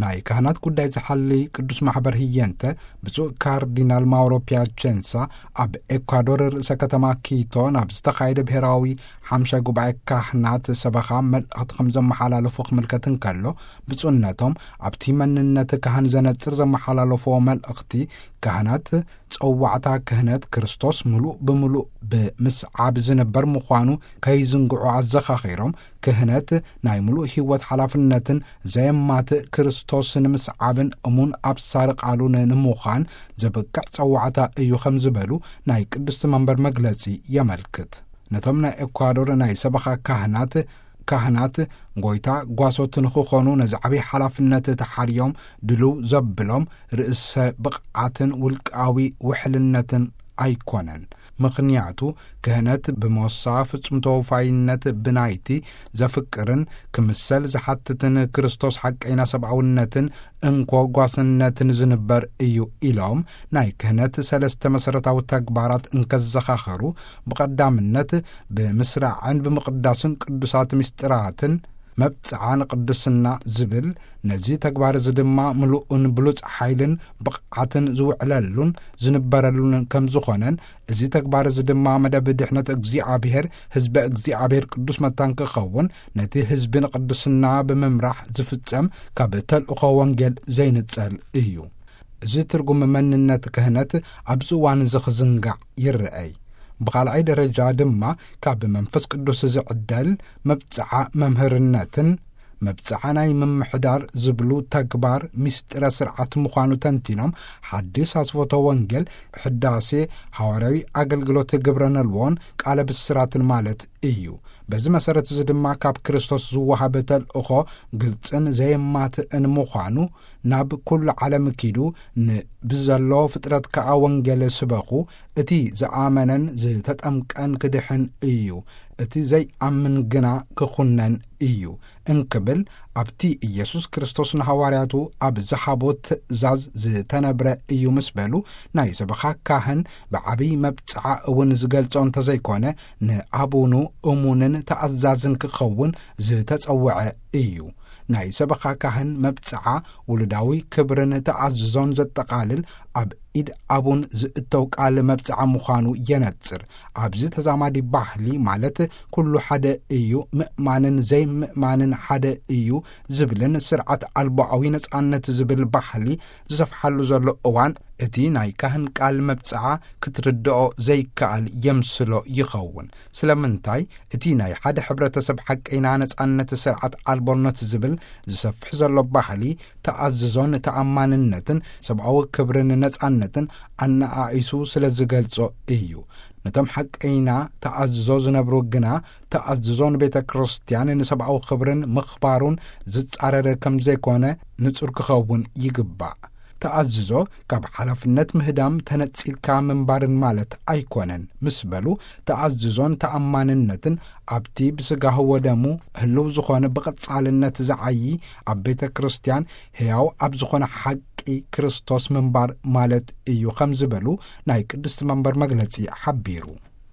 ናይ ካህናት ጉዳይ ዝሓሊ ቅዱስ ማሕበር ህየንተ፣ ብፁዕ ካርዲናል ማውሮ ፒያቸንሳ፣ ኣብ ኤኳዶር ርእሰ ከተማ ኪቶ ናብ ዝተኻየደ ብሔራዊ ሓምሻይ ጉባኤ ካህናት ሰበኻ መልእኽቲ ከም ዘመሓላለፉ ክምልከት እንከሎ፣ ብፁዕነቶም ኣብቲ መንነት ካህን ዘነጽር ዘመሓላለፍዎ መልእኽቲ፣ ካህናት ጸዋዕታ ክህነት ክርስቶስ ምሉእ ብምሉእ ብምስዓብ ዝንበር ምዃኑ ከይዝንግዑ ኣዘኻኺሮም፣ ክህነት ናይ ምሉእ ህይወት ሓላፍነትን ዘየማትእ ክርስቶስ ንምስዓብን እሙን ኣብሳሪ ቃሉን ንምዃን ዘብቅዕ ጸዋዕታ እዩ ከም ዝበሉ ናይ ቅድስቲ መንበር መግለጺ የመልክት። ነቶም ናይ ኤኳዶር ናይ ሰበኻ ካህናት፣ ካህናት ጎይታ ጓሶት ንኽኾኑ ነዚ ዓብዪ ሓላፍነት ተሓርዮም ድልው ዘብሎም ርእሰ ብቕዓትን ውልቃዊ ውሕልነትን ኣይኮነን። ምኽንያቱ ክህነት ብሞሳ ፍጹም ተወፋይነት ብናይቲ ዘፍቅርን ክምሰል ዝሓትትን ክርስቶስ ሓቀይና ሰብኣውነትን እንኮ ጓስነትን ዝንበር እዩ ኢሎም፣ ናይ ክህነት ሰለስተ መሰረታዊ ተግባራት እንከዘኻኸሩ፣ ብቐዳምነት ብምስራዕን ብምቕዳስን ቅዱሳት ምስጢራትን መብጽዓ ንቅድስና ዝብል፣ ነዚ ተግባር እዚ ድማ ምሉእን ብሉጽ ሓይልን ብቕዓትን ዝውዕለሉን ዝንበረሉን ከም ዝኾነን፣ እዚ ተግባር እዚ ድማ መደብ ድሕነት እግዚኣብሔር፣ ህዝበ እግዚኣብሔር ቅዱስ መታን ክኸውን፣ ነቲ ህዝቢ ንቅድስና ብምምራሕ ዝፍጸም ካብ ተልእኾ ወንጌል ዘይንጸል እዩ። እዚ ትርጉም መንነት ክህነት ኣብዚ እዋን እዚ ክዝንጋዕ ይረኣይ። ብኻልኣይ ደረጃ ድማ ካብ መንፈስ ቅዱስ ዝዕደል መብጽዓ መምህርነትን መብጽዓ ናይ ምምሕዳር ዝብሉ ተግባር ምስጢረ ስርዓት ምዃኑ ተንቲኖም፣ ሓዲስ ኣስፎቶ ወንጌል፣ ሕዳሴ፣ ሃዋርያዊ ኣገልግሎት ግብረ ነልዎን ቃለ ብስራትን ማለት እዩ። በዚ መሰረት እዚ ድማ ካብ ክርስቶስ ዝወሃብ ተልእኾ ግልጽን ዘየማትእን ምዃኑ፣ ናብ ኩሉ ዓለም ኪዱ ንብዘሎ ፍጥረት ከኣ ወንጌል ስበኹ፣ እቲ ዝኣመነን ዝተጠምቀን ክድሕን እዩ፣ እቲ ዘይኣምን ግና ክኹነን እዩ እንክብል ኣብቲ ኢየሱስ ክርስቶስ ንሃዋርያቱ ኣብ ዝሃቦ ትእዛዝ ዝተነብረ እዩ ምስ በሉ፣ ናይ ሰበኻ ካህን ብዓብይ መብጽዓ እውን ዝገልጾ እንተዘይኮነ፣ ንኣቡኑ እሙንን ተኣዛዝን ክኸውን ዝተጸውዐ እዩ። ናይ ሰበኻ ካህን መብጽዓ ውሉዳዊ ክብርን ተኣዝዞን ዘጠቓልል፣ ኣብ ኢድ ኣቡን ዝእተው ቃል መብጽዓ ምዃኑ የነጽር። ኣብዚ ተዛማዲ ባህሊ፣ ማለት ኩሉ ሓደ እዩ፣ ምእማንን ዘይምእማንን ሓደ እዩ ዝብልን ስርዓት ኣልቦኣዊ ነጻነት ዝብል ባህሊ ዝሰፍሓሉ ዘሎ እዋን፣ እቲ ናይ ካህን ቃል መብጽዓ ክትርድኦ ዘይከኣል የምስሎ ይኸውን። ስለምንታይ? እቲ ናይ ሓደ ሕብረተሰብ ሓቀይና ነጻነት ስርዓት ኣልቦነት ዝብል ዝሰፍሕ ዘሎ ባህሊ፣ ተኣዝዞን ተኣማንነትን ሰብኣዊ ክብርን ነጻነትን ኣነኣኢሱ ስለ ዝገልጾ እዩ። ነቶም ሓቀይና ተኣዝዞ ዝነብሩ ግና፣ ተኣዝዞ ንቤተ ክርስቲያን ንሰብኣዊ ክብርን ምኽባሩን ዝጻረር ከም ዘይኮነ ንጹር ክኸውን ይግባእ። ተኣዝዞ ካብ ሓላፍነት ምህዳም ተነጺልካ ምንባርን ማለት ኣይኮነን ምስ በሉ፣ ተኣዝዞን ተኣማንነትን ኣብቲ ብስጋሁ ወደሙ ህልው ዝኾነ ብቐጻልነት ዝዓዪ ኣብ ቤተ ክርስቲያን ሕያው ኣብ ዝኾነ ሓቂ ክርስቶስ ምንባር ማለት እዩ ከም ዝበሉ ናይ ቅድስቲ መንበር መግለጺ ሓቢሩ።